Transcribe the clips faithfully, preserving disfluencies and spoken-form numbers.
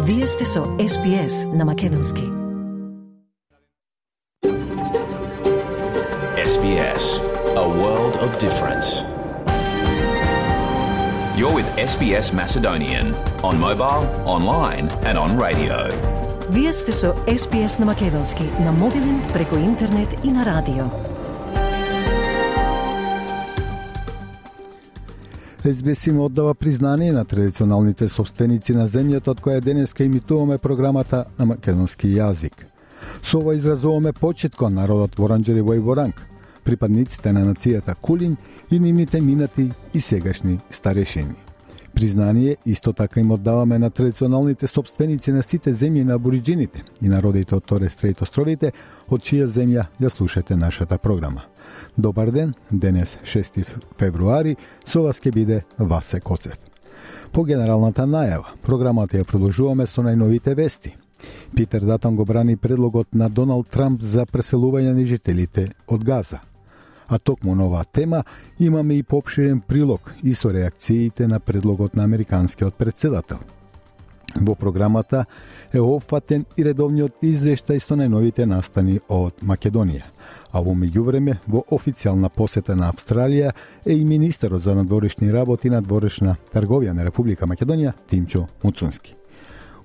Вие сте со Ес Би Ес на Македонски. Ес Би Ес, a world of difference. You're with Ес Би Ес Macedonian on mobile, online and on radio. Вие сте со Ес Би Ес на Македонски, на мобилен, преку интернет и на радио. Ес Би Ес им оддава признание на традиционалните собственици на земјата од која денеска имитуваме програмата на македонски јазик. Со ова изразуваме почит кон народот Воранџери во Воранг, припадниците на нацијата Кулин и нивните минати и сегашни старешини. Признание исто така им оддаваме на традиционалните собственици на сите земји на абориџините и народите од Торес Стрейт островите, од чија земја ја слушате нашата програма. Добар ден, денес шести февруари, со вас ќе биде Васе Коцев. По генералната најава, програмата ја продолжуваме со најновите вести. Питер Датон го брани предлогот на Доналд Трамп за преселување на жителите од Газа. А токму на оваа тема имаме и поопширен прилог и со реакциите на предлогот на американскиот претседател. Во програмата е опфатен и редовниот извештај со најновите настани од Македонија. А во меѓувреме, во официјална посета на Австралија е и министерот за надворешни работи и надворешна трговија на Република Македонија Тимчо Муцунски.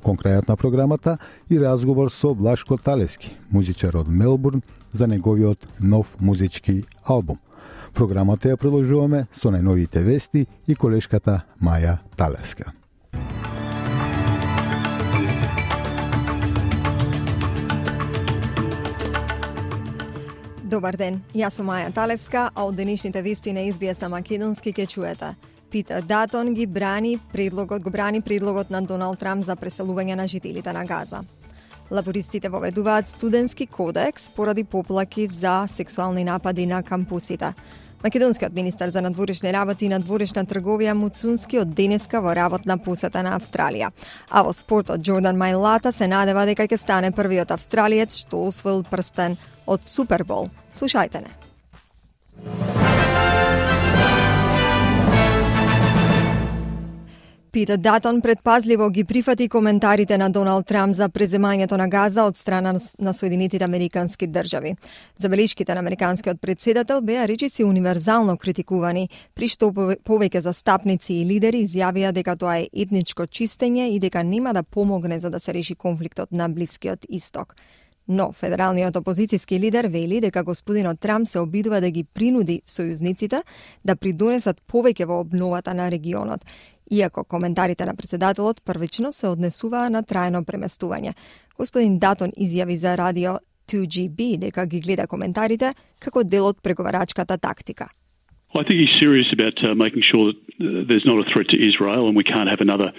Кон крајот на програмата и разговор со Блашко Талевски, музичар од Мелбурн, за неговиот нов музички албум. Програмата ја продолжуваме со најновите вести и колешката Маја Талевска. Добар ден, јас сум Маја Талевска, а од денешните вести на Ес Би Ес на Македонски ке чуете. Питер Датон ги брани предлогот, го брани предлогот на Доналд Трамп за преселување на жителите на Газа. Лабористите воведуваат студентски кодекс поради поплаки за сексуални напади на кампусите. Македонскиот министар за надворешни работи и надворешна трговија Муцунски од денеска во работна посета на Австралија. А во спортот Џордан Мајлата се надева дека ќе стане првиот австралиец што освоил прстен од Супербол. Слушајте не. Питер Датон предпазливо ги прифати коментарите на Доналд Трамп за преземањето на Газа од страна на Соединетите Американски држави. Забелишките на американскиот претседател беа речиси универзално критикувани, при што повеќе застапници и лидери изјавија дека тоа е етничко чистење и дека нема да помогне за да се реши конфликтот на Блискиот Исток. Но федералниот опозицијски лидер вели дека господинот Трамп се обидува да ги принуди сојузниците да придонесат повеќе во обновата на регионот, иако коментарите на претседателот првично се однесуваа на трајно преместување. Господин Датон изјави за радио two G B дека ги гледа коментарите како дел од преговарачката тактика. I think he's serious about uh, making sure that uh, there's not a threat to Israel and we can't have another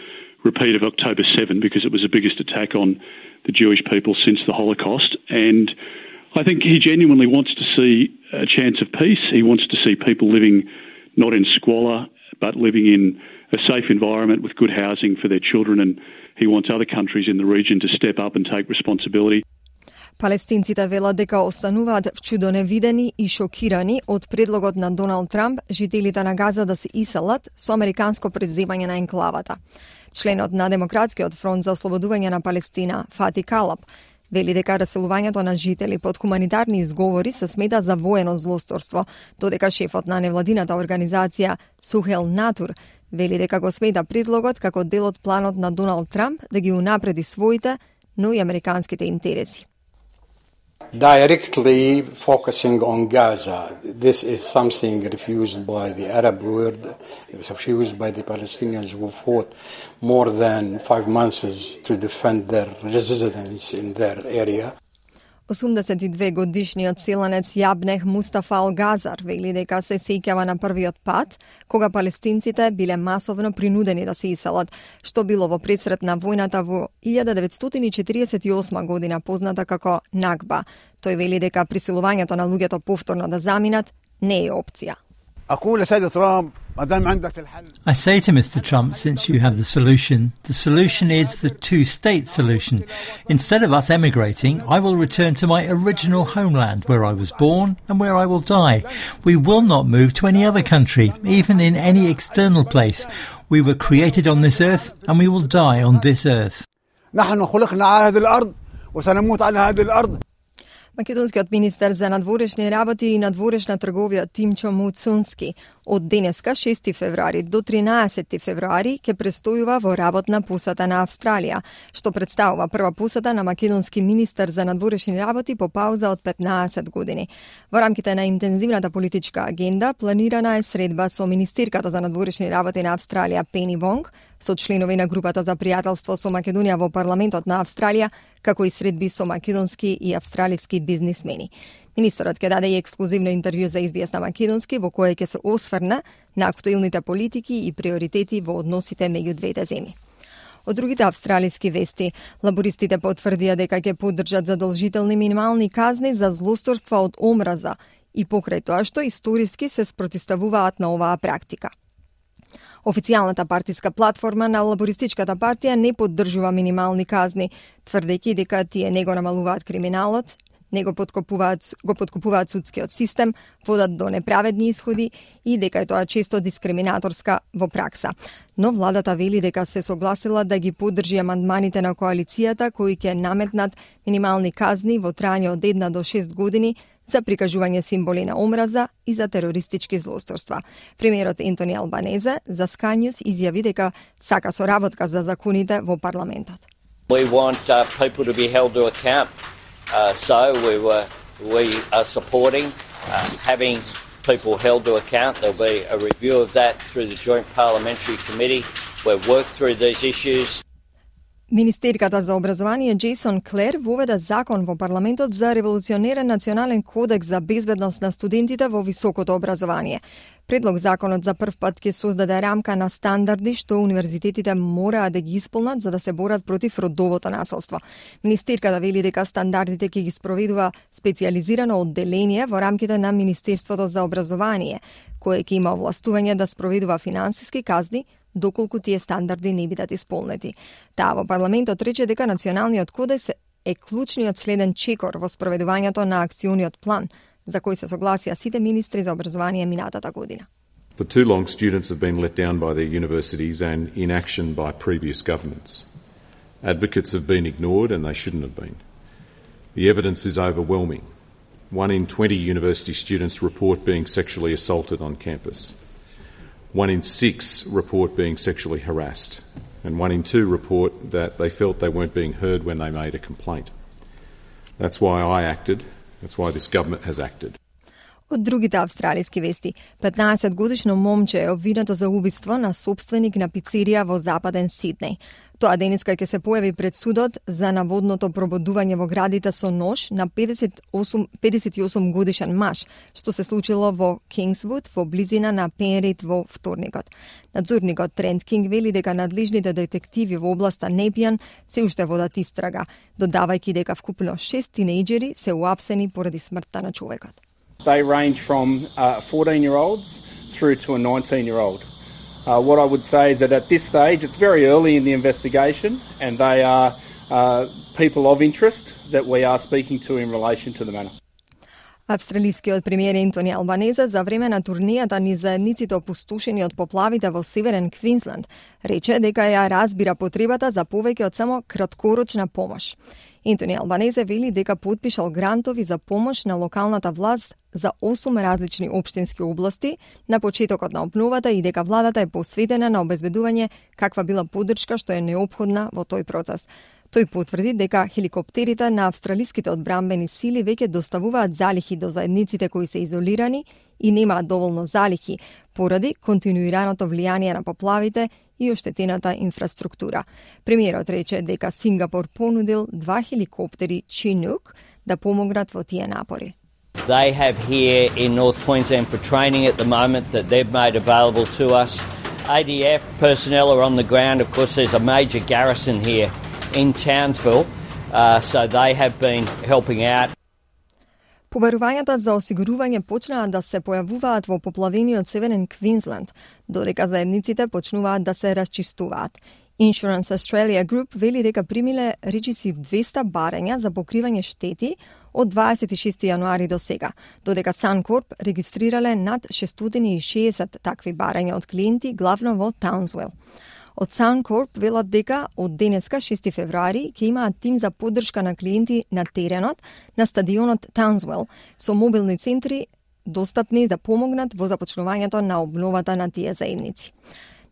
repeat of October seventh because it was the biggest attack on the Jewish people since the Holocaust. And I think he genuinely wants to see a chance of peace. He wants to see people living not in squalor, but living in a safe environment with good housing for their children. And he wants other countries in the region to step up and take responsibility. Палестинците велат дека остануваат вчудоневидени и шокирани од предлогот на Доналд Трамп жителите на Газа да се иселат со американско преземање на енклавата. Членот на Демократскиот фронт за ослободување на Палестина, Фати Калаб, вели дека раселувањето на жители под хуманитарни изговори се смета за воено злосторство, додека шефот на невладината организација Сухел Натур вели дека го смета предлогот како дел од планот на Доналд Трамп да ги унапреди своите, но и американските интереси. Directly focusing on Gaza, this is something refused by the Arab world, refused by the Palestinians who fought more than five months to defend their residence in their area. осумдесет и две годишниот селенец Јабнех Мустафа Ал-Газар вели дека се сеќава на првиот пат, кога палестинците биле масовно принудени да се иселат, што било во предсред на војната во илјада деветстотини четиридесет и осма година, позната како Нагба. Тој вели дека присилувањето на луѓето повторно да заминат не е опција. I say to Mister Trump, since you have the solution, the solution is the two-state solution. Instead of us emigrating, I will return to my original homeland where I was born and where I will die. We will not move to any other country, even in any external place. We were created on this earth and we will die on this earth. نحن خلقنا على هذه الأرض وسنموت على هذه الأرض. Македонскиот министер за надворешни работи и надворешна трговија Тимчо Муцунски од денеска шести февруари до тринаесети февруари ќе престојува во работна посета на Австралија, што представува прва посета на македонски министер за надворешни работи по пауза од петнаесет години. Во рамките на интензивната политичка агенда планирана е средба со министерката за надворешни работи на Австралија Пени Вонг, со членови на групата за пријателство со Македонија во парламентот на Австралија, како и средби со македонски и австралиски бизнисмени. Министерот ќе даде и ексклузивно интервју за Ес Би Ес на македонски, во кое ќе се осврне на актуелните политики и приоритети во односите меѓу двете земји. Од другите австралиски вести, лабористите потврдија дека ќе поддржат задолжителни минимални казни за злосторства од омраза и покрај тоа што историски се спротивставуваат на оваа практика. Официјалната партиска платформа на лабористичката партија не поддржува минимални казни, тврдејќи дека тие не го намалуваат криминалот, не го подкопуваат, го подкопуваат судскиот систем, водат до неправедни исходи и дека е тоа често дискриминаторска во пракса. Но владата вели дека се согласила да ги поддржи амандманите на коалицијата кои ќе наметнат минимални казни во трајање од една до шест години за прикажување символи на омраза и за терористички злосторства. Премиерот Ентони Албанезе за Sky News изјави дека сака соработка за законите во парламентот. We want uh, people to be held to account. Uh, so we were we are supporting uh, having people held to account. There'll be a review of that through the Joint Parliamentary Committee. We've worked through these issues. Министерката за образование Джейсон Клер воведа закон во парламентот за револуционерен национален кодекс за безбедност на студентите во високото образование. Предлог законот за прв пат ќе создаде рамка на стандарди што универзитетите мораат да ги исполнат за да се борат против родовото насилство. Министерката вели дека стандардите ќе ги спроведува специјализирано одделение во рамките на Министерството за образование, кое ќе има овластување да спроведува финансиски казни доколку тие стандарди не бидат исполнети. Таа во парламентот рече дека националниот кодекс е клучниот следен чекор во спроведувањето на акциониот план, за кој се согласија сите министри за образование минатата година. For too long, students have been let down by their universities and inaction by previous governments. Advocates have been ignored and they shouldn't have been. The evidence is overwhelming. One in twenty university students report being sexually assaulted on campus. One in six report being sexually harassed, and one in two report that they felt they weren't being heard when they made a complaint. That's why I acted. That's why this government has acted. Од другите австралиски вести, петнаесет годишно момче е обвинето за убиство на собственик на пицерија во западен Сиднеј. Тоа денеска ќе се појави пред судот за наводното прободување во градите со нож на педесет и осум годишен маж, што се случило во Кингсвуд во близина на Пенрит во вторникот. Надзорникот Трент Кинг вели дека надлежните детективи во областа Непијан се уште водат истрага, додавајќи дека вкупно шест тинејџери се уапсени поради смртта на човекот. They range from uh, fourteen-year-olds through to a nineteen-year-old. Uh, what I would say is that at this stage, it's very early in the investigation, and they are uh, people of interest that we are speaking to in relation to the matter. Австралискиот премиер Ентони Албанезе за време на турнијата низ заедниците опустошени од поплавите во Северен Квинсленд рече дека ја разбира потребата за повеќе од само краткорочна помош. Ентони Албанезе вели дека потпишал грантови за помош на локалната власт за осум различни општински области на почетокот на обновата и дека владата е посветена на обезбедување каква била поддршка што е неопходна во тој процес. Тој потврди дека хеликоптерите на австралиските одбранбени сили веќе доставуваат залихи до заедниците кои се изолирани и немаат доволно залихи поради континуираното влијание на поплавите и оштетената инфраструктура. Премиерот рече дека Сингапур понудил два хеликоптери Chinook да помогнат во тие напори. They have here in North Queensland for training at the moment that they've made available to us. A D F personnel are on the ground. Of course, there's a major garrison here in Townsville, uh, so they have been helping out. Побарувањата за осигурување почнаа да се појавуваат во поплавениот Северен Квинсленд, додека заедниците почнуваат да се расчистуваат. Insurance Australia Group вели дека примиле речиси двеста барања за покривање штети од дваесет и шести јануари до сега, додека Suncorp регистрирале над шестстотини и шеесет такви барања од клиенти главно во Таунсвил. Од Suncorp велат дека од денеска шести февруари ќе имаат тим за поддршка на клиенти на теренот на стадионот Townsville со мобилни центри достапни да помогнат во започнувањето на обновата на тие заедници.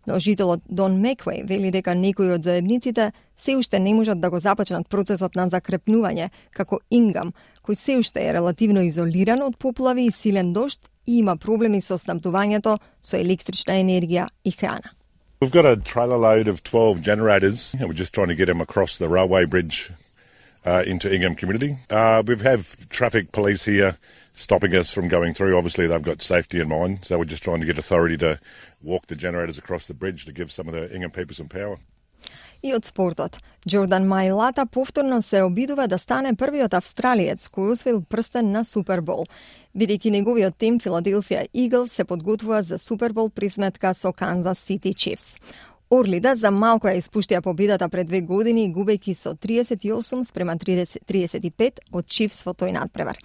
Но жителот Дон Меквей вели дека некои од заедниците се уште не можат да го започнат процесот на закрепнување, како Ингам, кој се уште е релативно изолиран од поплави и силен дожд и има проблеми со снабдувањето со електрична енергија и храна. We've got a trailer load of twelve generators and we're just trying to get them across the railway bridge uh, into Ingham community. Uh, we have traffic police here stopping us from going through. Obviously, they've got safety in mind, so we're just trying to get authority to walk the generators across the bridge to give some of the Ingham people some power. И од спортот. Джордан Маилата повторно се обидува да стане првиот австралиец кој освоил прстен на Супербол. Бидејќи неговиот тим Филаделфија Иглс се подготвува за Супербол при сметка со Канзас Сити Чифс. Орлида за малку ја испуштија победата пред две години, губејќи со триесет и осум спрема триесет и пет од Чифс во тој надпревар.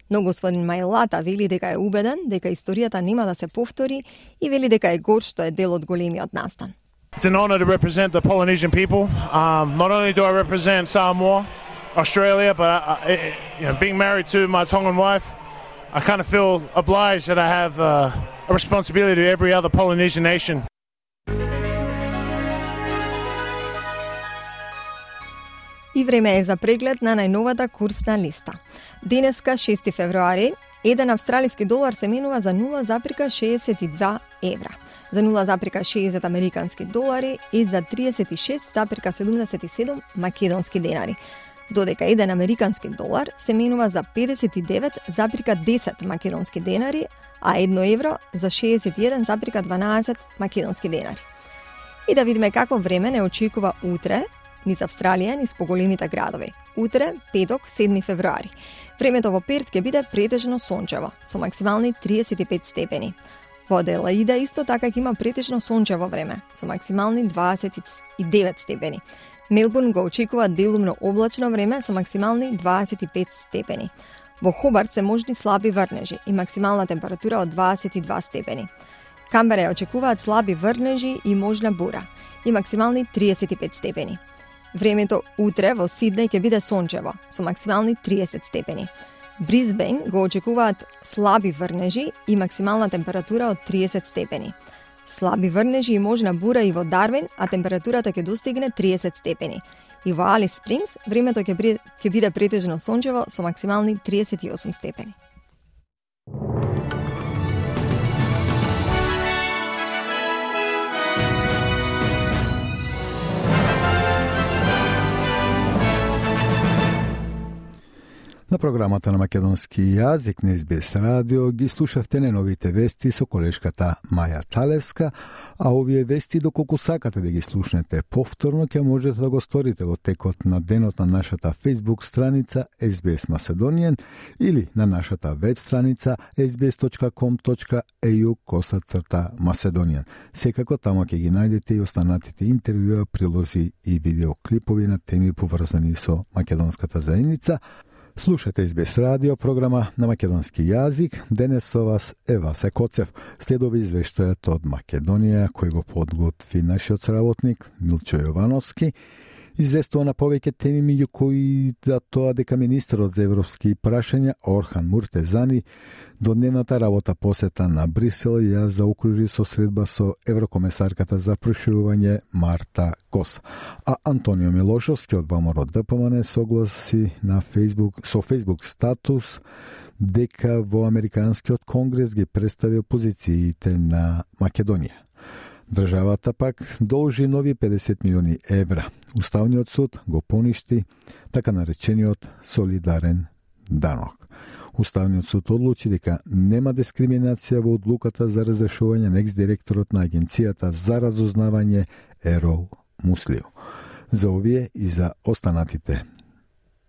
Но господин Маилата вели дека е убеден дека историјата нема да се повтори и вели дека е горд што е дел од големиот настан. It's an honor to represent the Polynesian people. Um, not only do I represent Samoa, Australia, but I, I, you know, being married to my Tongan wife, I kind of feel obliged that I have uh, a responsibility to every other Polynesian nation. И време е за преглед на најновата курсна листа. Денеска, шести февруари, еден австралиски долар се менува за нула запирка шеесет и два евра, за нула запирка шеесет американски долари и за триесет и шест запирка седумдесет и седум македонски денари. Додека еден американски долар се менува за педесет и девет запирка десет македонски денари, а едно евро за шеесет и еден запирка дванаесет македонски денари. И да видиме какво време не очекува утре, низ Австралија, низ поголемите градови. Утре, петок, седми февруари. Времето во Перт ќе биде претежно сончево, со максимални триесет и пет степени. Во Аделаида исто така ќе има претежно сончево време, со максимални дваесет и девет степени. Мелбурн го очекува делумно облачно време со максимални дваесет и пет степени. Во Хобарт се можни слаби врнежи и максимална температура од дваесет и два степени. Камбера ја очекуваат слаби врнежи и можна бура и максимални триесет и пет степени. Времето утре во Сиднеј ќе биде сончево, со максимални триесет степени. Брисбен го очекуваат слаби врнежи и максимална температура од триесет степени. Слаби врнежи и можна бура и во Дарвин, а температурата ќе достигне триесет степени. И во Алис Спрингс времето ќе биде, ќе биде претежно сончево со максимални триесет и осум степени. На програмата на македонски јазик на Ес Би Ес радио ги слушавте најновите вести со колешката Маја Талевска, а овие вести доколку сакате да ги слушнете повторно ќе можете да го сторите во текот на денот на нашата Facebook страница Ес Би Ес Macedonian или на нашата веб страница ес би ес точка ком точка е ю косацрта Macedonian. Секако тамо ќе ги најдете и останатите интервјуа, прилози и видеоклипови на теми поврзани со македонската заедница. Слушате Ес Би Ес радио, програма на македонски јазик. Денес со вас е Васе Коцев. Следови извештајот од Македонија, кој го подготви нашиот соработник Милчо Јовановски. Известува на повеќе теми, меѓу кои да тоа дека министерот за европски прашања Орхан Муртезани до дневната работа посета на Брисел ја заокружи со средба со еврокомесарката за проширување Марта Кос. А Антонио Милошовски од ВМРО Д П М Н согласи на Facebook, со Facebook статус дека во Американскиот конгрес ги представил позициите на Македонија. Државата пак должи нови педесет милиони евра. Уставниот суд го поништи така наречениот солидарен данок. Уставниот суд одлучи дека нема дискриминација во одлуката за разрешување на екс-директорот на Агенцијата за разузнавање Ерол Муслио. За овие и за останатите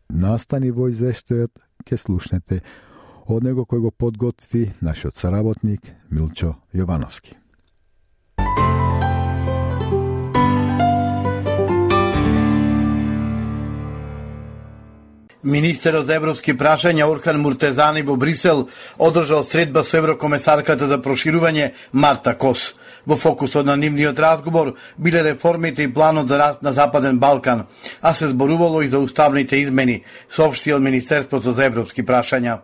настани во извештајот ќе слушнете од него кој го подготви нашиот соработник Милчо Јовановски. Министерот за европски прашања Орхан Муртезани во Брисел одржал средба со еврокомесарката за проширување Марта Кос. Во фокусот на нивниот разговор биле реформите и планот за раст на Западен Балкан, а се зборувало и за уставните измени, соопштил Министерството за европски прашања.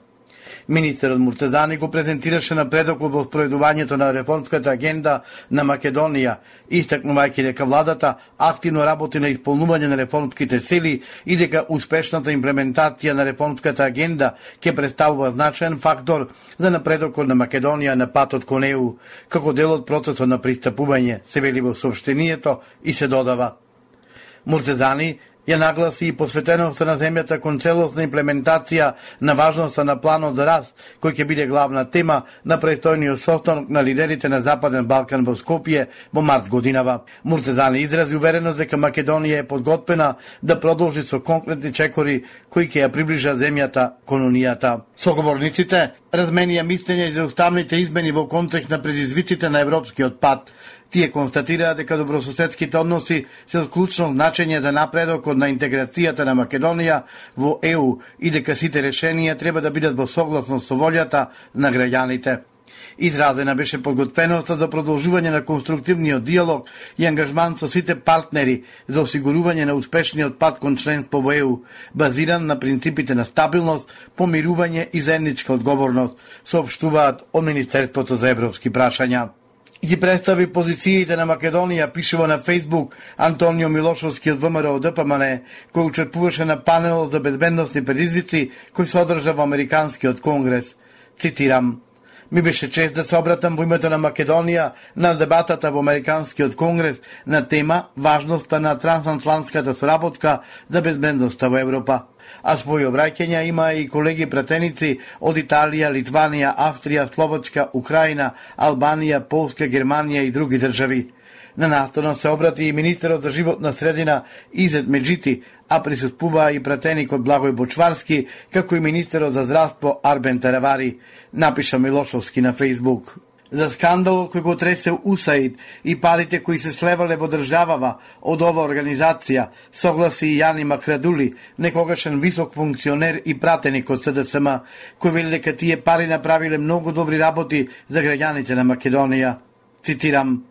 Министерот Муртезани го презентираше напредокот во спроведувањето на реформската агенда на Македонија, истакнувајќи дека владата активно работи на исполнување на реформските цели и дека успешната имплементација на реформската агенда ќе представува значаен фактор за напредокот на Македонија на патот кон Е У, како дел од процесот на пристапување, се вели во соопштението и се додава. Муртезани ја нагласи и посветеноста на земјата кон целосна имплементација на важноста на планот за раст, кој ќе биде главна тема на престојниот состанок на лидерите на Западен Балкан во Скопје во март годинава. Муртезани изрази увереност дека Македонија е подготвена да продолжи со конкретни чекори кои ќе ја приближат земјата кон Унијата. Соговорниците разменија мислење за уставните измени во контекст на предизвиците на европскиот пат. Тие констатираа дека добрососедските односи се од клучно значење за напредокот на интеграцијата на Македонија во Е У и дека сите решенија треба да бидат во согласност со волјата на граѓаните. Изразена беше подготвеноста за продолжување на конструктивниот диалог и ангажман со сите партнери за осигурување на успешниот пат кон членство во Е У, базиран на принципите на стабилност, помирување и заедничка одговорност, соопштуваат од Министерството за европски прашања. Ги представи позициите на Македонија, пишува на Фейсбук Антонио Милошовски од Вэ Ем Ер О Д П М Н, кој учествуваше на панелот за безбедносни предизвици кој се одржа во Американскиот конгрес. Цитирам: Ми беше чест да се обратам во името на Македонија на дебатата во Американскиот конгрес на тема важноста на трансатлантската соработка за безбедноста во Европа. А своји обраќања има и колеги пратеници од Италија, Литванија, Австрија, Словачка, Украина, Албанија, Полска, Германија и други држави. На настанот се обрати и министерот за животна средина Изет Меджити, а присуствуваа и пратеникот Благој Бочварски, како и министерот за здравство Арбен Таравари, напиша Милошовски на Фейсбук. За скандалот кој го тресе У С А И Д и парите кои се слевале во државава од ова организација, согласи и Јани Макрадули, некогашен висок функционер и пратеник од С Д С М, кој вели дека тие пари направиле многу добри работи за граѓаните на Македонија. Цитирам: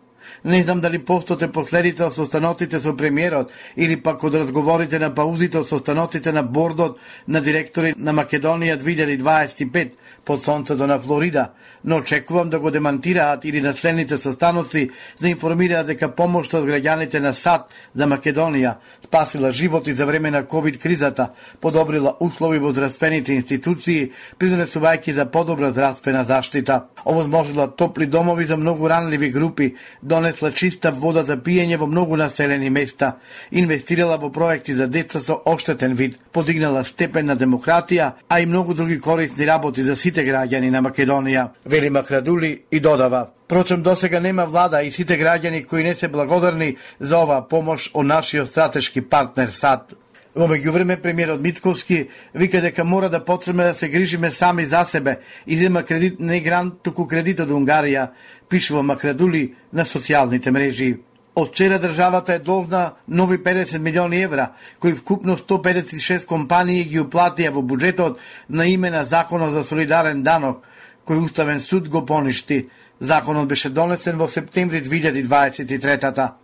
Не знам дали постоте последите од состаноците со премиерот или пак од разговорите на паузите од состаноците на бордот на директори на Македонија две илјади дваесет и пет под сонцето на Флорида, но очекувам да го демантираат или на члените состаноци да информираат дека помошта од граѓаните на САД за Македонија спасила животи за време на ковид кризата, подобрила услови во здравствените институции, придонесувајќи за подобра здравствена заштита, овозможила топли домови за многу ранливи групи, донесла чиста вода за пиење во многу населени места, инвестирала во проекти за деца со оштетен вид, подигнала степен на демократија, а и многу други корисни работи за сите граѓани на Македонија, вели Макрадули и додава: Впрочем, досега нема влада и сите граѓани кои не се благодарни за оваа помош од нашиот стратешки партнер САД. Во меѓувреме, премиерот Мицковски вика дека мора да почнеме да се грижиме сами за себе и зема кредит не грант, туку кредит од Унгарија, пишува Макрадули на социјалните мрежи. Од вчера државата е должна нови педесет милиони евра, кои вкупно сто педесет и шест компании ги уплатија во буџетот на име на Законот за солидарен данок, кој Уставен суд го поништи. Законот беше донесен во септември две илјади дваесет и трета.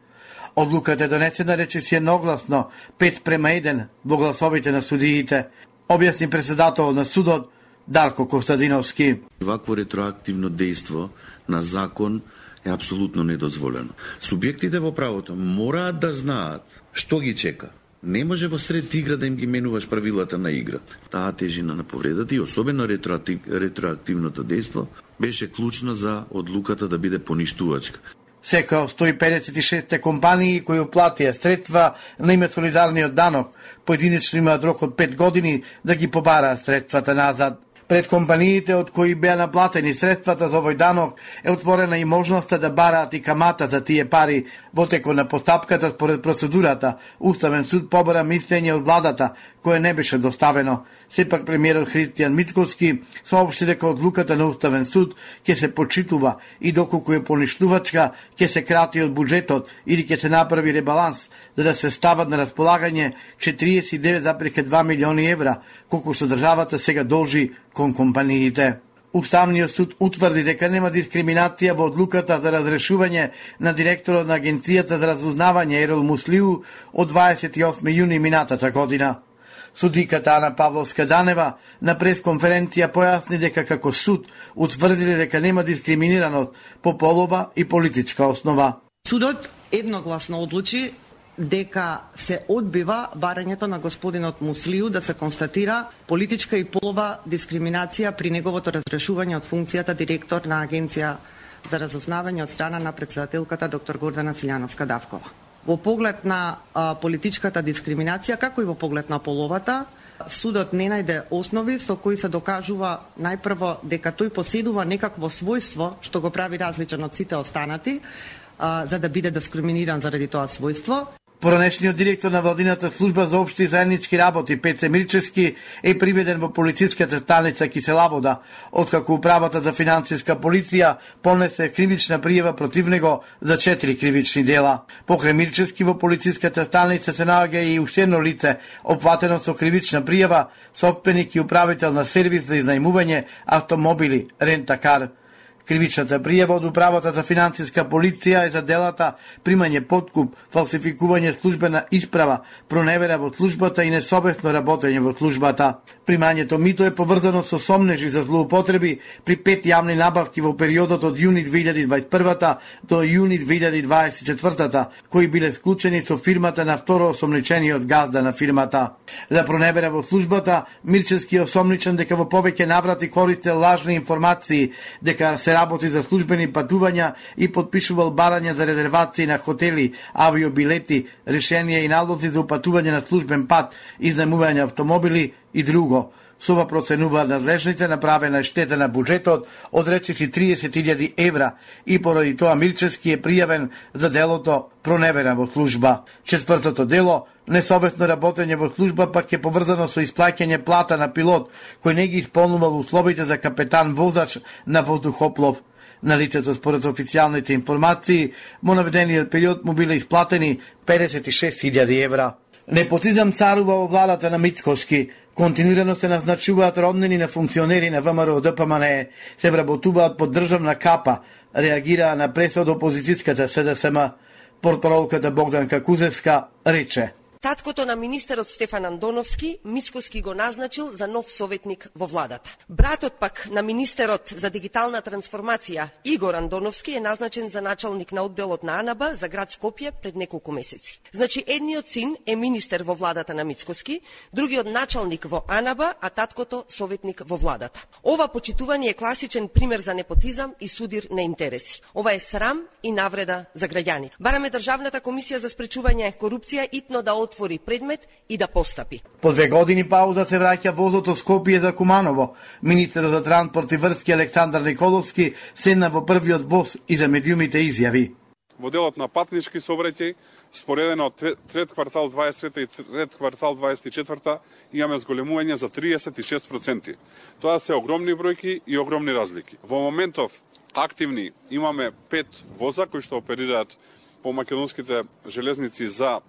Одлуката е донесена речиси едногласно, пет према еден во гласовите на судиите, објасни председател на судот Дарко Костадиновски. Вакво ретроактивно дејство на закон е апсолутно недозволено. Субјектите во правото мораат да знаат што ги чека. Не може во сред игра да им ги менуваш правилата на играта. Таа тежина на повредата и особено ретроактив, ретроактивното дејство беше клучно за одлуката да биде поништувачка. Секоја од сто и педесет и шест компании кои уплатија средства на име солидарниот данок, поединечно имаат рок од пет години да ги побараат средствата назад. Пред компаниите од кои беа наплатени средствата за овој данок е отворена и можноста да бараат и камата за тие пари. Во текот на постапката според процедурата, Уставен суд побара мислење од владата, кое не беше доставено. Сепак премиерот Христијан Мицкоски соопшти дека одлуката на Уставен суд ќе се почитува и доколку е поништувачка, ќе се крати од буџетот или ќе се направи ребаланс за да се стават на располагање четириесет и девет зарез два милиони евра, колку што државата сега должи кон компаниите. Уставниот суд утврди дека нема дискриминација во одлуката за разрешување на директорот на Агенцијата за разузнавање Ерол Муслиу од дваесет и осми јуни минатата година. Судиката Ана Павловска-Данева на пресконференција појасни дека како суд утврдиле дека нема дискриминираност по полова и политичка основа. Судот едногласно одлучи дека се одбива барањето на господинот Муслиу да се констатира политичка и полова дискриминација при неговото разрешување од функцијата директор на Агенција за разузнавање од страна на претседателката доктор Гордана Цилјановска-Давкова. Во поглед на а, политичката дискриминација, како и во поглед на половата, судот не најде основи со кои се докажува најпрво дека тој поседува некакво својство што го прави различен од сите останати, а, за да биде дискриминиран заради тоа својство. Поранешниот директор на владината служба за општи и заеднички работи Пеце Мирчевски е приведен во полициската станица Киселавода, откако управата за финансиска полиција понесе кривична пријава против него за четири кривични дела. Покрај Мирчевски во полициската станица се наоѓа и уште едно лице опфатено со кривична пријава, сопственик и управител на сервис за изнајмување автомобили Рентакар. Кривичната пријава од управата за финансиска полиција е за делата примање подкуп, фалсификување службена исправа, проневера во службата и несовесно работење во службата. Примањето мито е поврзано со сомнежи за злоупотреби при пет јавни набавки во периодот од јуни две илјади дваесет и прва до јуни две илјади дваесет и четврта, кои биле склучени со фирмата на второ осомничениот газда на фирмата. За проневера во службата, Мирчевски е осомничен дека во повеќе наврати користел лажни информации, дека се работи за службени патувања и подпишувал барања за резервации на хотели, авиобилети, решенија и налози за упатување на службен пат, изнајмување автомобили и друго. Со ова проценуваат надлежните направена штета на буџетот од речиси триесет илјади евра и поради тоа Мирчевски е пријавен за делото проневера во служба. Четвртото дело, несовесно работење во служба, пак е поврзано со исплаќање плата на пилот кој не ги исполнувал условите за капетан возач на воздухоплов. На лицето според официјалните информации, во наведениот период му биле исплатени педесет и шест илјади евра. Непотизам царува во владата на Мицкоски. Континуирано се назначуваат роднини на функционери на ВМРО Д П М Н Е, се вработуваат под државна капа, реагираа на пресо од опозицијската С Д С М. Портпаролката Богданка Кузевска рече: Таткото на министерот Стефан Андоновски, Мицкоски го назначил за нов советник во владата. Братот пак на министерот за дигитална трансформација, Игор Андоновски, е назначен за началник на одделот на АНАБ за град Скопје пред неколку месеци. Значи, едниот син е министер во владата на Мицкоски, другиот началник во АНАБ, а таткото советник во владата. Ова почитување е класичен пример за непотизам и судир на интереси. Ова е срам и навреда за граѓани. Бараме Државната комисија за спречување корупција итно да отвори предмет и да постапи. По две години пауза се враќа возото Скопје за Куманово. Министерот за транспорт и врски Александар Николовски седна во првиот воз и за медиумите изјави: Во делот на патнички сообраќај, споредено од трет квартал дваесет трета и трет квартал дваесет и четврта, имаме зголемување за триесет и шест проценти. Тоа се огромни бројки и огромни разлики. Во моментов активни имаме пет воза кои што оперираат по македонските железници за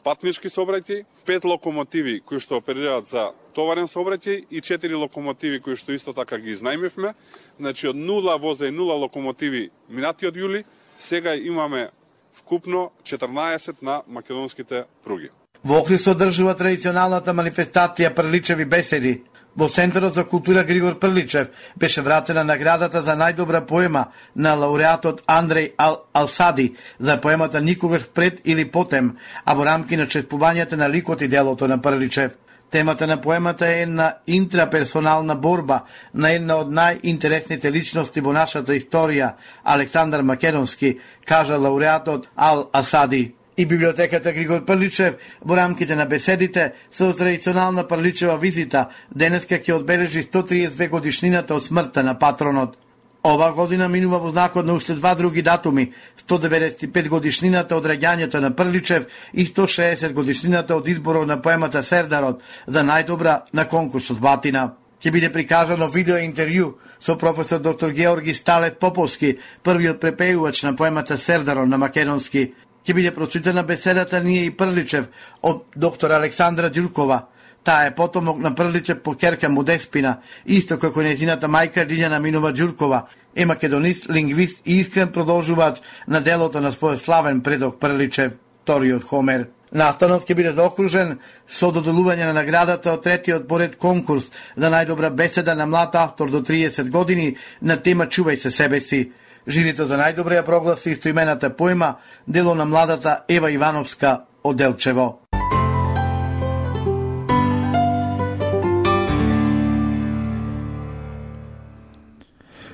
патнички сообраќај, пет локомотиви кои што оперираат за товарен сообраќај и четири локомотиви кои што исто така ги изнајмивме. Значи од нула воза и нула локомотиви минатиот јули, сега имаме вкупно четрнаесет на македонските пруги. Во Охрид се одржува традиционалната манифестација Прличеви беседи. Во Центарот за култура Григор Прличев беше вратена наградата за најдобра поема на лауреатот Андреј Ал Алсади за поемата Никогаш пред или потем, а во рамки на чествувањето на ликот и делото на Прличев. Темата на поемата е една интраперсонална борба на една од најинтересните личности во нашата историја, Александар Македонски, кажа лауреатот Ал Асади. И библиотеката Григор Прличев во рамките на беседите со традиционална Прличева визита денеска ќе одбележи сто триесет две годишнината од смртта на патронот. Ова година минува во знакот на уште два други датуми: сто деветдесет и пет годишнината од раѓањето на Прличев и сто шеесет годишнината од изборот на поемата Сердарот за најдобра на конкурсот Батина. Ќе биде прикажано видео интервју со професор доктор Георги Сталев Поповски, првиот препејувач на поемата Сердарот на македонски. Ќе биде прочитана беседата Ние и Прличев од доктор Александра Ѓуркова. Таа е потомок на Прличев по ќерка му Деспина, исто како нејзината мајка Лиљана Минова Ѓуркова, е македонист, лингвист и искрен продолжувач на делото на својот славен предок Прличев, вториот Хомер. Настанот ќе биде заокружен со доделување на наградата од третиот поред конкурс за најдобра беседа на млад автор до триесет години на тема Чувај се себе си. Жирито за најдобра ја прогласи истоимената поема, дело на младата Ева Ивановска од Делчево.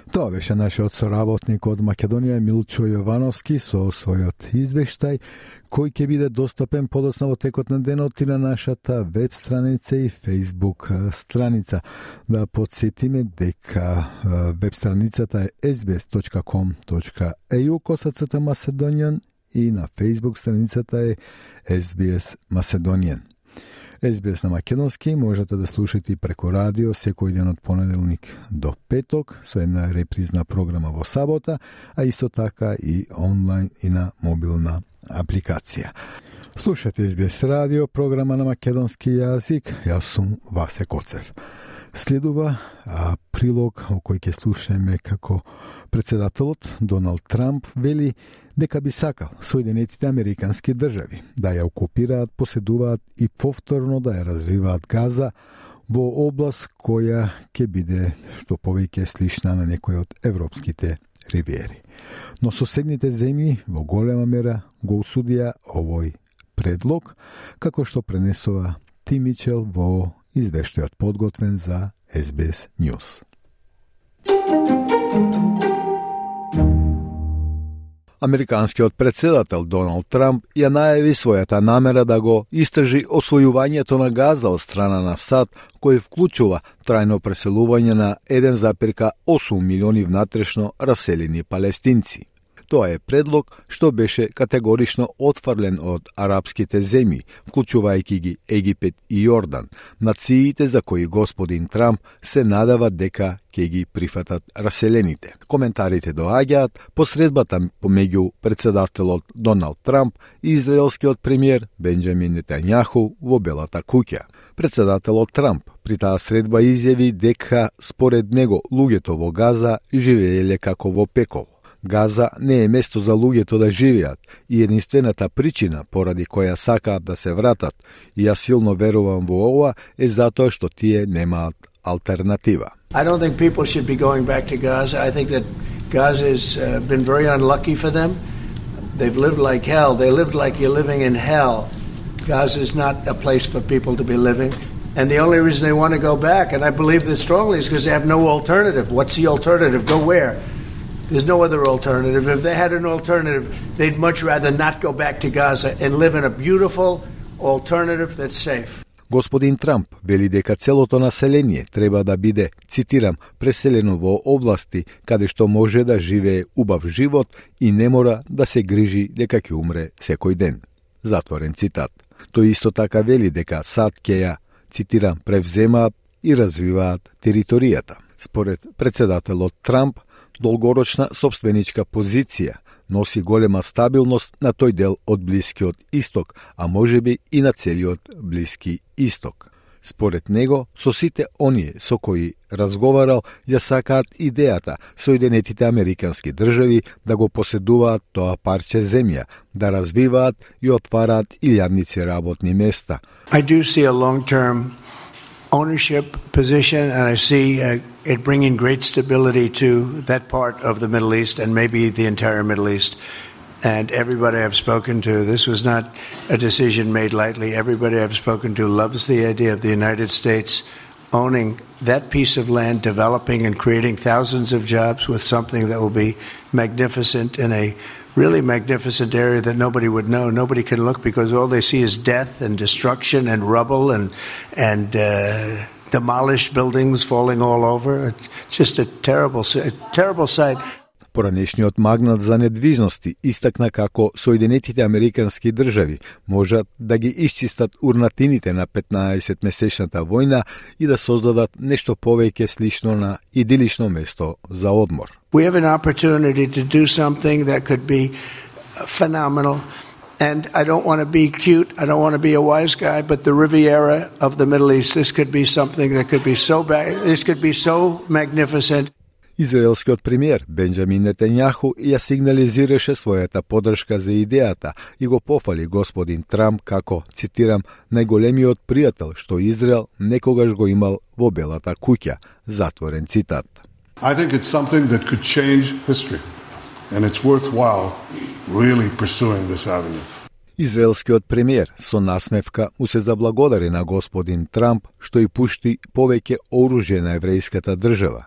Тоа беше нашиот соработник од Македонија Милчо Јовановски со својот извештај, кој ќе биде достапен подоцна во текот на денот и на нашата веб страница и фейсбук страница. Да подсетиме дека веб страницата е ес би ес точка ком точка е ю косацата Macedonian и на фейсбук страницата е ес би ес Macedonian. ес би ес на македонски можете да слушате и преко радио секој ден од понеделник до петок со една репризна програма во сабота, а исто така и онлайн и на мобилна апликација. Слушате ес би ес радио, програма на македонски јазик. Јас сум Васе Коцев. Следува а, прилог о кој ќе слушаме како председателот Доналд Трамп вели дека би сакал Соединетите Американски држави да ја окупираат, поседуваат и повторно да ја развиваат Газа во област која ќе биде што повеќе слична на некој од европските ривиери. Но соседните земји во голема мера го осудија овој предлог, како што пренесува Тим Мичел во извештајот подготвен за ес би ес News. Американскиот председател Доналд Трамп ја најави својата намера да го истражи освојувањето на Газа од страна на САД, кој вклучува трајно преселување на еден зарез осум милиони внатрешно раселени палестинци. Тоа е предлог што беше категорично отфрлен од арапските земји, вклучувајќи ги Египет и Јордан, нациите за кои господин Трамп се надава дека ќе ги прифатат раселените. Коментарите доаѓаат посредбата помеѓу председателот Доналд Трамп и израелскиот премиер Бенџамин Нетањаху во Белата куќа. Председателот Трамп при таа средба изјави дека според него луѓето во Газа живееле како во пекол. Газа не е место за луѓето да живеат и единствената причина поради која сакаат да се вратат, и јас силно верувам во ова, е затоа што тие немаат алтернатива. I don't think people should be going back to Gaza. I think that Gaza has uh, been very unlucky for them. They've lived like hell. They lived like you're living in hell. Gaza is not a place for people to be living. And the only reason they want to go back, and I believe this strongly, is because they have no alternative. What's the alternative? Go where? There's no other alternative. If they had an alternative, they'd much rather not go back to Gaza and live in a beautiful alternative that's safe. Господин Трамп вели дека целото население треба да биде, цитирам, преселено во области каде што може да живее убав живот и не мора да се грижи дека ќе умре секој ден. Затворен цитат. Тој исто така вели дека САД ќе ја, цитирам, превземаат и развиваат територијата. Според председателот Трамп, долгорочна собственичка позиција носи голема стабилност на тој дел од Блискиот Исток, а можеби и на целиот Блиски Исток. Според него, со сите оние со кои разговарал, ја сакаат идејата Соединетите Американски држави да го поседуваат тоа парче земја, да развиваат и отвараат илјадници работни места. I do see a long-term ownership position, and I see uh, it bringing great stability to that part of the Middle East and maybe the entire Middle East. And everybody I've spoken to, this was not a decision made lightly. Everybody I've spoken to loves the idea of the United States owning that piece of land, developing and creating thousands of jobs with something that will be magnificent in a really magnificent area that nobody would know. Nobody can look because all they see is death and destruction and rubble and and uh, demolished buildings falling all over. It's just a terrible, a terrible sight. Поранешниот магнат за недвижности истакна како Соединетите Американски држави можат да ги исчистат урнатините на петнаесетмесечната војна и да создадат нешто повеќе слично на идилично место за одмор. We have an opportunity to do something that could be phenomenal. And I don't want to be cute, I don't want to be a wise guy, but the Riviera of the Middle East, this could be something that could be so bad, this could be so magnificent. Израелскиот премиер Бенџамин Нетањаху ја сигнализираше својата поддршка за идејата и го пофали господин Трамп како, цитирам, најголемиот пријател што Израел некогаш го имал во Белата куќа, затворен цитат. I think it's something that could change history and it's worthwhile really pursuing this avenue. Израелскиот премиер со насмевка му се заблагодари на господин Трамп што и пушти повеќе оружје на еврејската држава.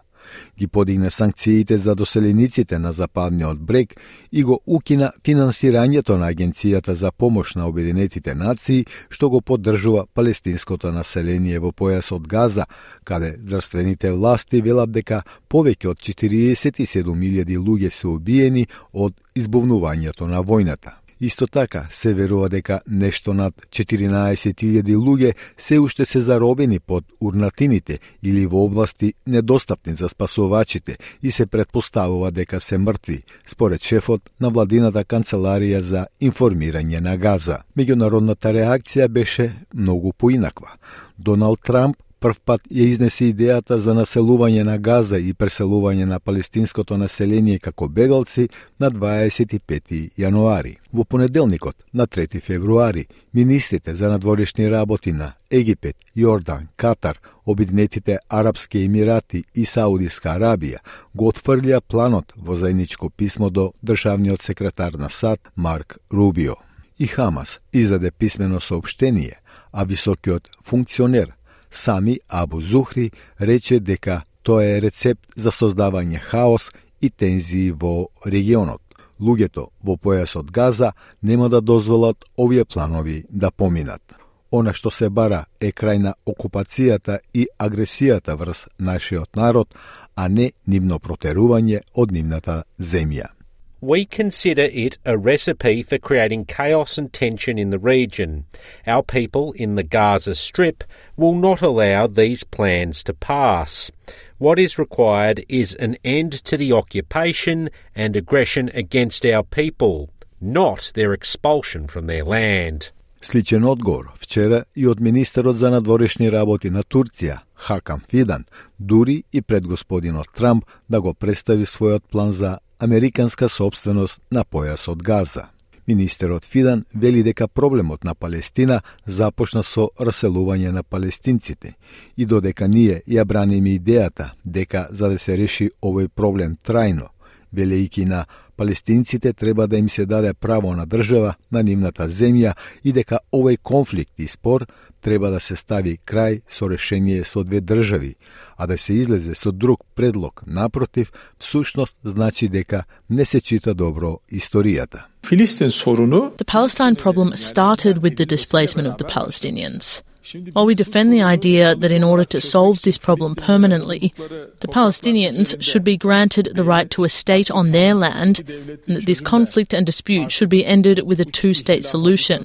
Ги подигна санкциите за доселениците на Западниот брег и го укина финансирањето на Агенцијата за помош на Обединетите нации, што го поддржува палестинското население во појасот Газа, каде здравствените власти велат дека повеќе од четириесет и седум илјади луѓе се убиени од избувнувањето на војната. Исто така се верува дека нешто над четиринаесет илјади луѓе се уште се заробени под урнатините или во области недостапни за спасувачите и се претпоставува дека се мртви, според шефот на владината канцеларија за информирање на Газа. Меѓународната реакција беше многу поинаква. Доналд Трамп првпат ја изнесе идејата за населување на Газа и преселување на палестинското население како бегалци на дваесет и пети јануари. Во понеделникот, на трети февруари, министрите за надворешни работи на Египет, Јордан, Катар, Обединетите Арапски Емирати и Саудиска Арабија го отфрлија планот во заедничко писмо до државниот секретар на САД Марк Рубио. И Хамас издаде писмено соопштение, а високиот функционер Сами Абу Зухри рече дека тоа е рецепт за создавање хаос и тензии во регионот. Луѓето во појасот Газа нема да дозволат овие планови да поминат. Она што се бара е крај на окупацијата и агресијата врз нашиот народ, а не нивно протерување од нивната земја. We consider it a recipe for creating chaos and tension in the region. Our people in the Gaza Strip will not allow these plans to pass. What is required is an end to the occupation and aggression against our people, not their expulsion from their land. Сличен одговор вчера и од министерот за надворешни работи на Турција, Хакам Фидан, дури и пред господинот Трамп да го представи својот план за американска собственост на појасот Газа. Министерот Фидан вели дека проблемот на Палестина започна со раселување на палестинците и додека ние ја браниме идејата дека за да се реши овој проблем трајно, велејќи на палестинците треба да им се даде право на држава на нивната земја и дека овој конфликт и спор треба да се стави крај со решение со две држави, а да се излезе со друг предлог напротив, всушност значи дека не се чита добро историјата. The Palestine problem started with the displacement of the Palestinians. While we defend the idea that in order to solve this problem permanently, the Palestinians should be granted the right to a state on their land, and that this conflict and dispute should be ended with a two-state solution.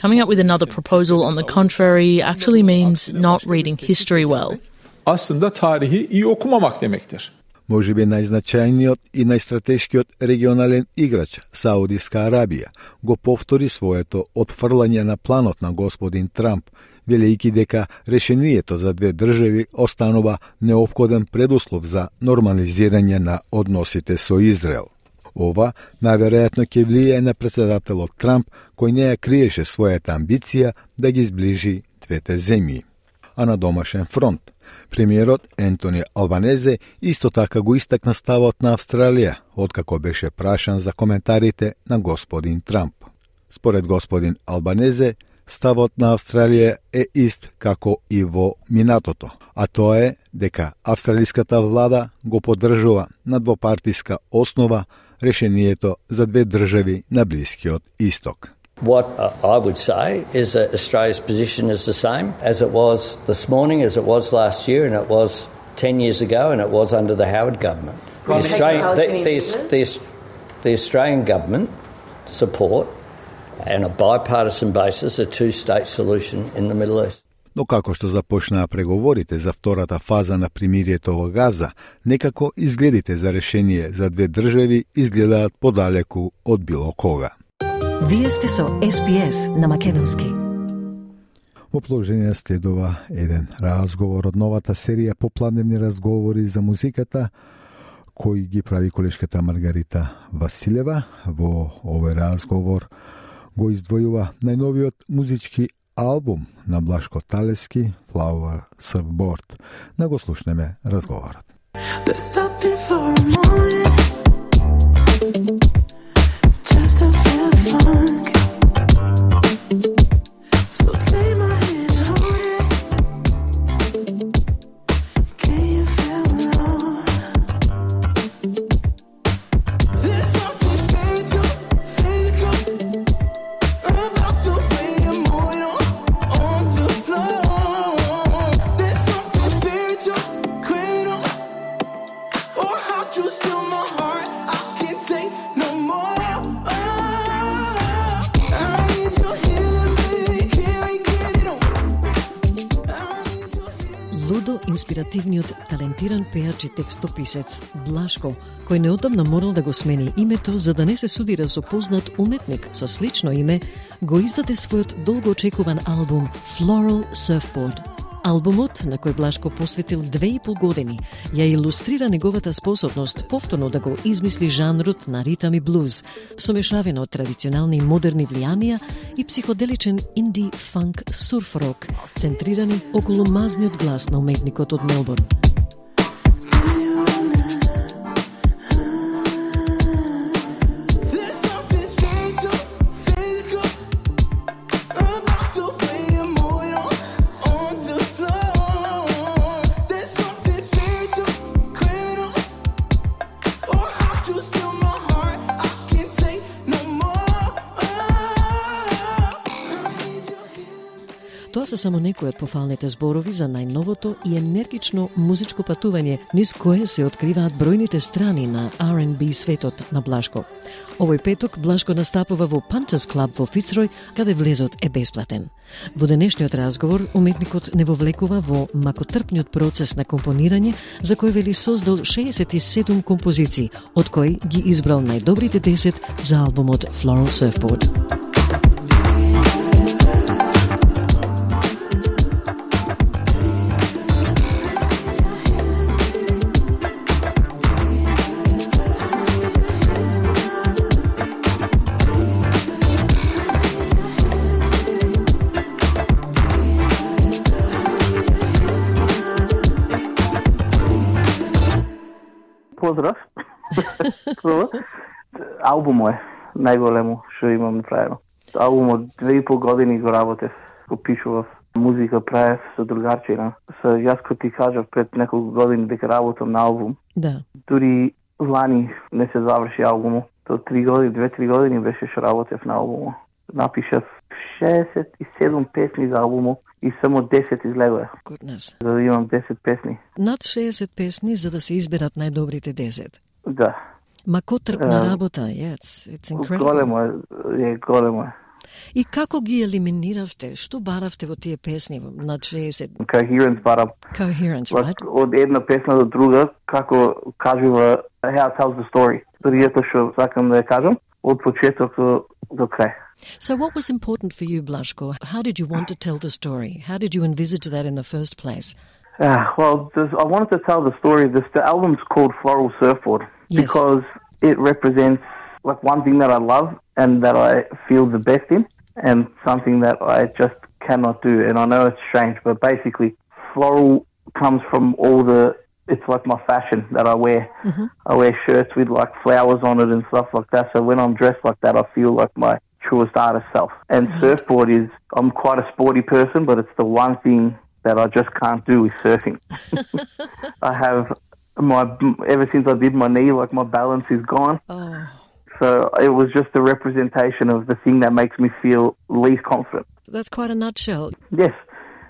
Coming up with another proposal on the contrary actually means not reading history well. Aslında tarihi iyi okumamak demektir. Можеби најзначајниот и најстратешкиот регионален играч, Саудиска Арабија, го повтори своето отфрлање на планот на господин Трамп, велејќи дека решението за две држави останува неопходен предуслов за нормализирање на односите со Израел. Ова најверојатно ќе влијае на претседателот Трамп, кој не ја криеше својата амбиција да ги зближи двете земји. А на домашен фронт, премиерот Ентони Албанезе исто така го истакна ставот на Австралија, откако беше прашан за коментарите на господин Трамп. Според господин Албанезе, ставот на Австралија е ист како и во минатото, а тоа е дека австралиската влада го поддржува на двопартиска основа решението за две држави на Блискиот Исток. What uh, I would say is that Australia's position is the same as it was this morning, as it was last year, and it was ten years ago, and it was under the Howard government. The Australian, the, the, the, the Australian government support on a bipartisan basis a two-state solution in the Middle East. Но како што започнаа преговорите за втората фаза на примирието во Газа, некако изгледите за решение за две држави изгледаат подалеку од било кога. Вие сте со Ес Би Ес на македонски. Во продолжение следува еден разговор од новата серија попладневни разговори за музиката, кој ги прави колешката Маргарита Василева. Во овој разговор го издвојува најновиот музички албум на Блашко Талевски, Flower Surfboard. Да го слушнеме разговорот. Инспиративниот, талентиран пеач и текстописец Блашко, кој неодамна морал да го смени името за да не се судира со познат уметник со слично име, го издаде својот долго очекуван албум Floral Surfboard. Албумот, на кој Блашко посветил две и пол години, ја илустрира неговата способност повторно да го измисли жанрот на ритам и блуз, somешавено од традиционални и модерни влијанија и психоделичен инди фанк сурф рок, центрирани околу мазниот глас на уметникот од Мелбурн. Тоа се само некои од пофалните зборови за најновото и енергично музичко патување, низ кое се откриваат бројните страни на Ар енд Би светот на Блашко. Овој петок Блашко настапува во Punches Club во Фицрој, каде влезот е бесплатен. Во денешниот разговор уметникот не вовлекува во макотрпниот процес на компонирање, за кој вели создал шеесет и седум композиции, од кои ги избрал најдобрите десет за албумот Floral Surfboard. Поздрав. Албумот е најголемо што имам направено. Албумот две и пол години го работев, го пишував, музика правев со другарчина. Со јас кој ти кажав пред неколку години дека работам на албум. Да. Дури лани не се заврши албумот. До три години, две-три години беше што работев на албумот. Напишав шеесет и седум песни за албумот и само десет излегоа. Goodness. За да имам десет песни. Над шеесет песни за да се изберат најдобрите десет. Да. Макотрпна uh, работа, yes, it's incredible. Големо е, е, големо е. И како ги елиминиравте? Што баравте во тие песни над шеесет? Coherence барам. Coherence, right? Од една песна до друга, како кажува, how it tells the story. Сторијата што сакам да ја кажам, од почеток до, до крај. So what was important for you, Blashko? How did you want to tell the story? How did you envisage that in the first place? Uh, well, this, I wanted to tell the story. This, the album's called Floral Surfboard yes. because it represents like one thing that I love and that I feel the best in, and something that I just cannot do. And I know it's strange, but basically, floral comes from all the. It's like my fashion that I wear. Mm-hmm. I wear shirts with like flowers on it and stuff like that. So when I'm dressed like that, I feel like my truest artist self. And mm-hmm. surfboard is, I'm quite a sporty person, but it's the one thing that I just can't do is surfing. I have my ever since I did my knee, like my balance is gone. Oh. So it was just a representation of the thing that makes me feel least confident. That's quite a nutshell. Yes.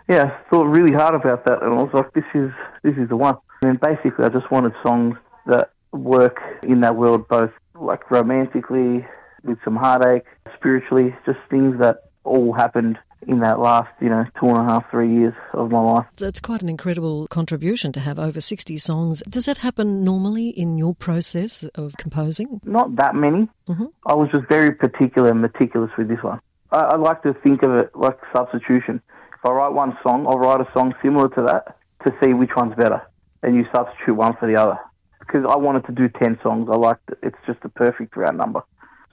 Yeah, I thought really hard about that, and I was like, this is this is the one. And basically, I just wanted songs that work in that world, both like romantically, with some heartache, spiritually, just things that all happened in that last, you know, two and a half, three years of my life. It's quite an incredible contribution to have over sixty songs. Does that happen normally in your process of composing? Not that many. Mm-hmm. I was just very particular and meticulous with this one. I, I like to think of it like substitution. If I write one song, I'll write a song similar to that to see which one's better, and you substitute one for the other. Because I wanted to do ten songs. I liked it. It's just a perfect round number.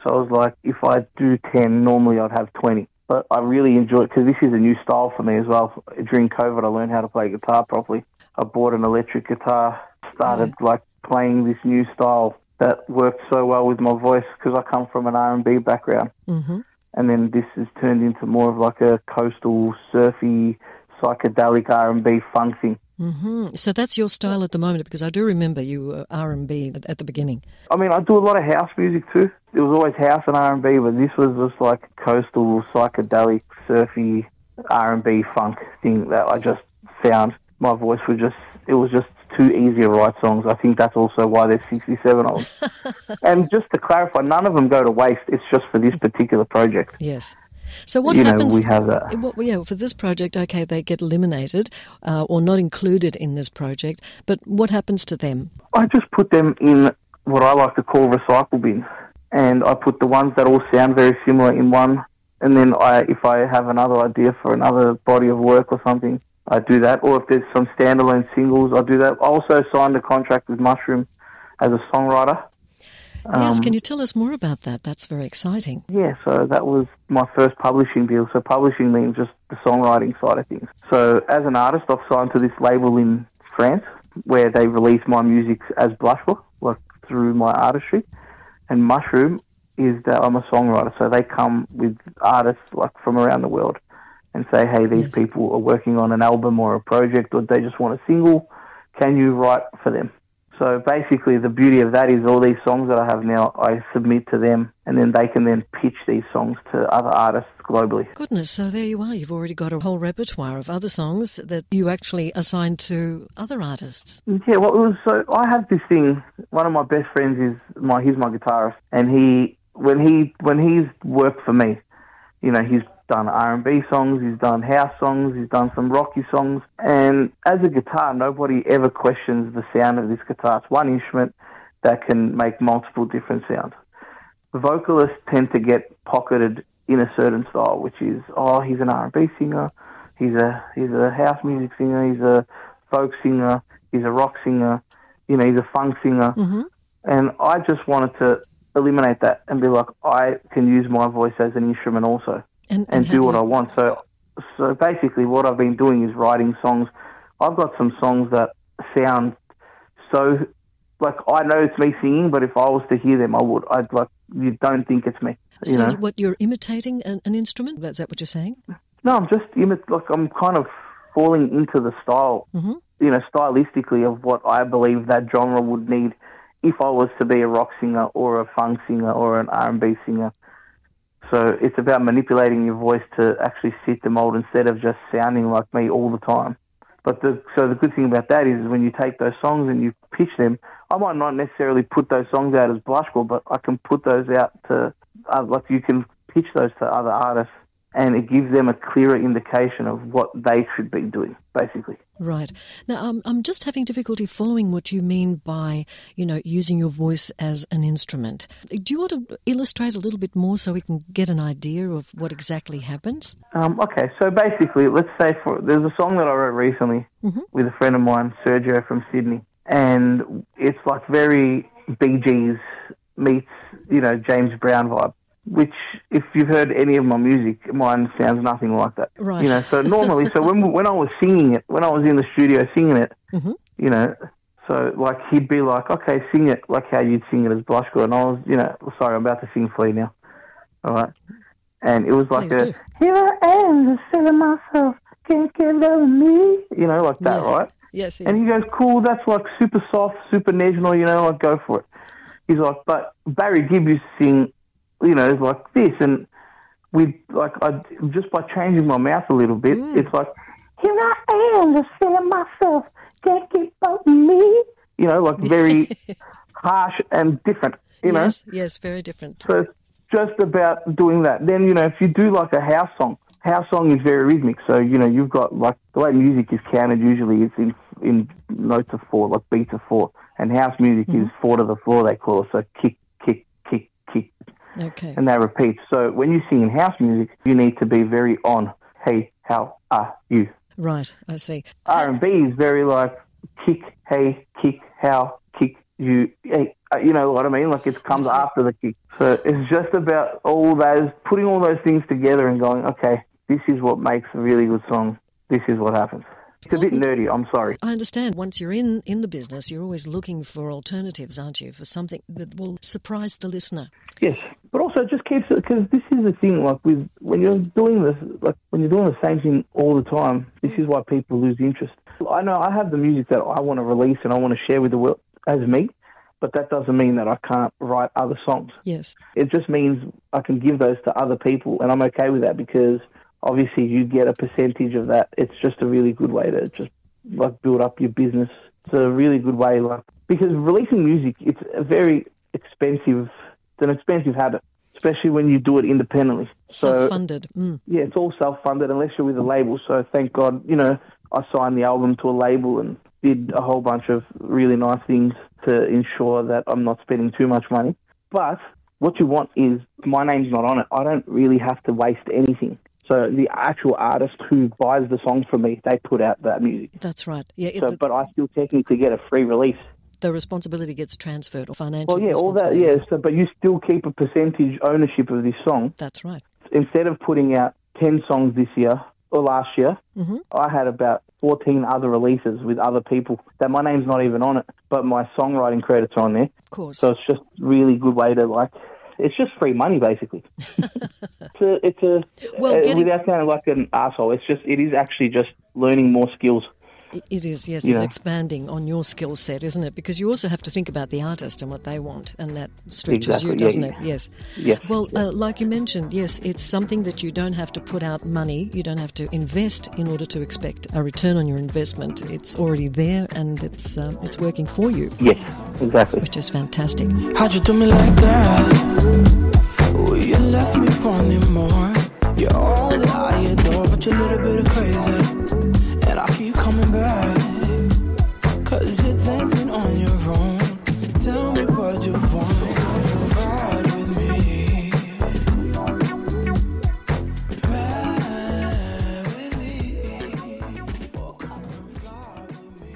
So I was like, if I do ten, normally I'd have twenty. But I really enjoy it because this is a new style for me as well. During COVID, I learned how to play guitar properly. I bought an electric guitar, started mm. like playing this new style that worked so well with my voice because I come from an R and B background. Mm-hmm. And then this has turned into more of like a coastal, surfy, psychedelic R and B funk thing. Mm-hmm. So that's your style at the moment, because I do remember you were R and B at, at the beginning. I mean, I do a lot of house music too. It was always house and R and B, but this was just like coastal, psychedelic, surfy R and B funk thing that I just found my voice was just, it was just too easy to write songs. I think that's also why there's sixty-seven of them. And just to clarify, none of them go to waste. It's just for this particular project. Yes. So what you happens? Know, we have that. What, yeah, for this project, okay, they get eliminated uh, or not included in this project. But what happens to them? I just put them in what I like to call recycle bins, and I put the ones that all sound very similar in one. And then I, if I have another idea for another body of work or something, I do that. Or if there's some standalone singles, I do that. I also signed a contract with Mushroom as a songwriter. Yes, Um, can you tell us more about that? That's very exciting. Yeah, so that was my first publishing deal. So publishing means just the songwriting side of things. So as an artist, I've signed to this label in France where they release my music as Blushbook, like through my artistry. And Mushroom is that I'm a songwriter, so they come with artists like from around the world and say, hey, these Yes. people are working on an album or a project, or they just want a single. Can you write for them? So basically the beauty of that is all these songs that I have now, I submit to them, and then they can then pitch these songs to other artists globally. Goodness, so there you are. You've already got a whole repertoire of other songs that you actually assign to other artists. Yeah, well, it was so I have this thing. One of my best friends is my he's my guitarist, and he when he when he's worked for me, you know, he's done R and B songs, he's done house songs, he's done some rocky songs, and as a guitar, nobody ever questions the sound of this guitar. It's one instrument that can make multiple different sounds. Vocalists tend to get pocketed in a certain style, which is, oh, he's an R and B singer, he's a he's a house music singer, he's a folk singer, he's a rock singer, you know, he's a funk singer. Mm-hmm. And I just wanted to eliminate that and be like, I can use my voice as an instrument also and, and, and do what you... I want. So, so basically what I've been doing is writing songs. I've got some songs that sound so, like, I know it's me singing, but if I was to hear them, I would. I'd like, you don't think it's me. You So know? you, what, you're imitating an, an instrument? Is that what you're saying? No, I'm just, imit- like, I'm kind of falling into the style, Mm-hmm. you know, stylistically of what I believe that genre would need if I was to be a rock singer or a funk singer or an R and B singer. So it's about manipulating your voice to actually fit the mold instead of just sounding like me all the time. But the so the good thing about that is when you take those songs and you pitch them, I might not necessarily put those songs out as Blushcore, but I can put those out to, uh, like you can pitch those to other artists, and it gives them a clearer indication of what they should be doing, basically. Right. Now, um, I'm just having difficulty following what you mean by, you know, using your voice as an instrument. Do you want to illustrate a little bit more so we can get an idea of what exactly happens? Um, okay, so basically, let's say for there's a song that I wrote recently mm-hmm. with a friend of mine, Sergio from Sydney, and it's like very Bee Gees meets, you know, James Brown vibe. Which, if you've heard any of my music, mine sounds nothing like that. Right. You know, so normally, so when when I was singing it, when I was in the studio singing it, mm-hmm. you know, so like he'd be like, okay, sing it like how you'd sing it as Blushcore, and I was, you know, sorry, I'm about to sing for you now, all right? And it was like Please a, do. here I am, just feeling myself, can't get over me, you know, like that, Yes. right? Yes, yes. And he goes, cool, that's like super soft, super national, you know, like go for it. He's like, but Barry Gibb used to sing, you know, like this, and we like I just by changing my mouth a little bit, mm. it's like, here I am, just feeling myself, can't keep up with me, you know, like very harsh and different, you know. Yes, yes, very different. So it's just about doing that. Then, you know, if you do like a house song, house song is very rhythmic. So, you know, you've got like the way music is counted usually it's in in notes of four, like beats of four. And house music mm-hmm. is four to the floor, they call it. So kick, kick, kick, kick. Okay. And they repeat. So when you sing in house music, you need to be very on, hey, how are you? Right, I see. R and B is very like kick, hey, kick, how, kick, you, hey, you know what I mean? Like it comes after the kick. So it's just about all those, putting all those things together and going, okay, this is what makes a really good song. This is what happens. It's a bit nerdy, I'm sorry. I understand. Once you're in, in the business, you're always looking for alternatives, aren't you? For something that will surprise the listener. Yes, but also it just keeps it, because this is the thing, like with, when you're doing this, like when you're doing the same thing all the time, this is why people lose interest. I know I have the music that I want to release and I want to share with the world as me, but that doesn't mean that I can't write other songs. Yes. It just means I can give those to other people, and I'm okay with that because obviously you get a percentage of that. It's just a really good way to just like build up your business. It's a really good way, like, because releasing music, it's a very expensive, it's an expensive habit, especially when you do it independently. Self-funded. So, mm. Yeah, it's all self-funded unless you're with a label. So thank God, you know, I signed the album to a label and did a whole bunch of really nice things to ensure that I'm not spending too much money. But what you want is, my name's not on it. I don't really have to waste anything. So the actual artist who buys the songs from me, they put out that music. That's right. Yeah. It, so, the, but I still technically get a free release. The responsibility gets transferred, or financial. Well, yeah, all that, yeah. So, but you still keep a percentage ownership of this song. That's right. Instead of putting out ten songs this year or last year, mm-hmm. I had about fourteen other releases with other people that my name's not even on it, but my songwriting credits are on there. Of course. So it's just a really good way to like. It's just free money, basically. it's a, it's a well, uh, getting... without sounding like an asshole. It's just, it is actually just learning more skills. It is, yes. You it's know. expanding on your skill set, isn't it? Because you also have to think about the artist and what they want, and that stretches exactly, you, yeah, doesn't yeah. it? Yes. Yes. Well, yes. Uh, like you mentioned, yes, it's something that you don't have to put out money, you don't have to invest in order to expect a return on your investment. It's already there, and it's um, it's working for you. Yes, exactly. Which is fantastic. How'd you do me like that? Oh, you left me wanting more. You're all that I adore, but you're a little bit crazy, and I keep coming back. Cause you're dancing on your own. Tell me what you want. Ride with me. Ride with me. Or come and fly with me.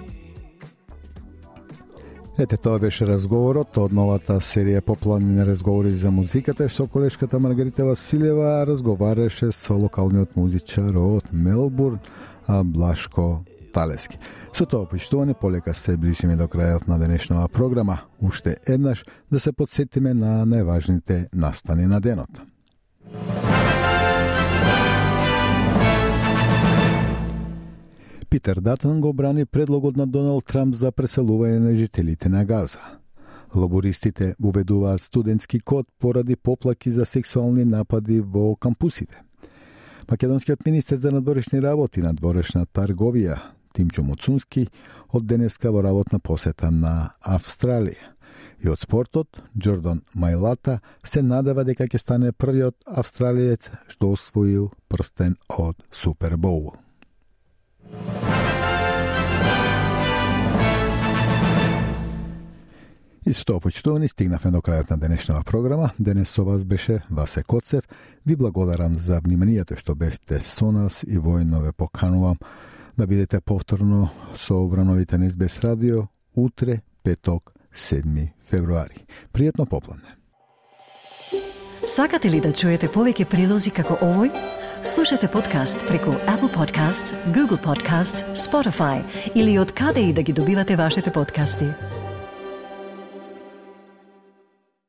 Ете, тоа беше разговорот од новата серија Популарни разговори за музиката, што колешката Маргарита Василева разговараше со локалниот музичар од Мелбурн, Блашко Талески. Со тоа почитуване полека се ближиме до крајот на денешнава програма. Уште еднаш да се подсетиме на најважните настани на денот. Питер Датон го брани предлогот на Доналд Трамп за преселување на жителите на Газа. Лабористите уведуваат студентски код поради поплаки за сексуални напади во кампусите. Македонскиот министер за надворешни работи и надворешна трговија Тимчо Муцунски од денеска во работна посета на Австралија. И од спортот, Джордан Мајлата се надева дека ќе стане првиот австралиец што освоил прстен од Супербоул. И со тоа почитувани стигнавме до крајот на денешнава програма. Денес со вас беше Васе Коцев. Ви благодарам за вниманието што бевте со нас и војно ве поканувам да бидете повторно со Обрановите на Ес Би Ес радио утре, петок, седми февруари. Пријатно попладне. Сакате ли да чуете повеќе прилози како овој? Слушате подкаст преку Apple Podcasts, Google Podcasts, Spotify или од каде и да ги добивате вашите подкасти.